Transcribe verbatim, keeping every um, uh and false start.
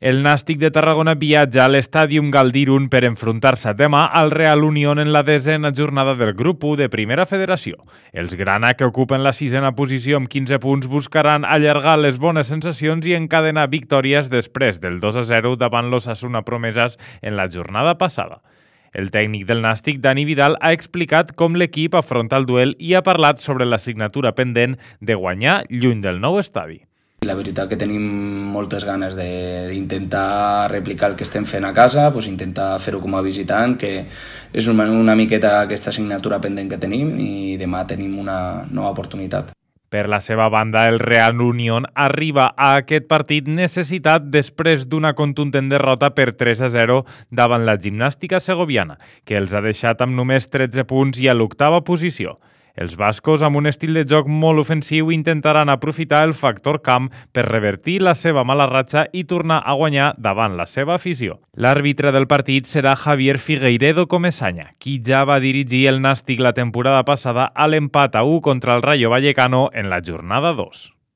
El Nàstic de Tarragona viatja a l'Estàdium Galdirun per enfrontar-se demà al Real Unión en la desena jornada del grup u de Primera Federació. Els grana, que ocupen la sisena posició amb quinze punts, buscaran allargar les bones sensacions i encadenar victòries després del dos a zero davant l'Osasuna Promeses en la jornada passada. El tècnic del Nàstic, Dani Vidal, ha explicat com l'equip afronta el duel i ha parlat sobre l'assignatura pendent de guanyar lluny del nou estadi. La veritat que tenim moltes ganes d'intentar replicar el que estem fent a casa, doncs intentar fer-ho com a visitant, que és una, una miqueta aquesta assignatura pendent que tenim, i demà tenim una nova oportunitat. Per la seva banda, el Real Unión arriba a aquest partit necessitat després d'una contundent derrota per tres a zero davant la Gimnàstica Segoviana, que els ha deixat amb només tretze punts i a l'octava posició. Els bascos, amb un estil de joc molt ofensiu, intentaran aprofitar el factor camp per revertir la seva mala ratxa i tornar a guanyar davant la seva afició. L'àrbitre del partit serà Javier Figueiredo Comesaña, qui ja va dirigir el Nàstic la temporada passada a l'empat a u contra el Rayo Vallecano en la jornada dos.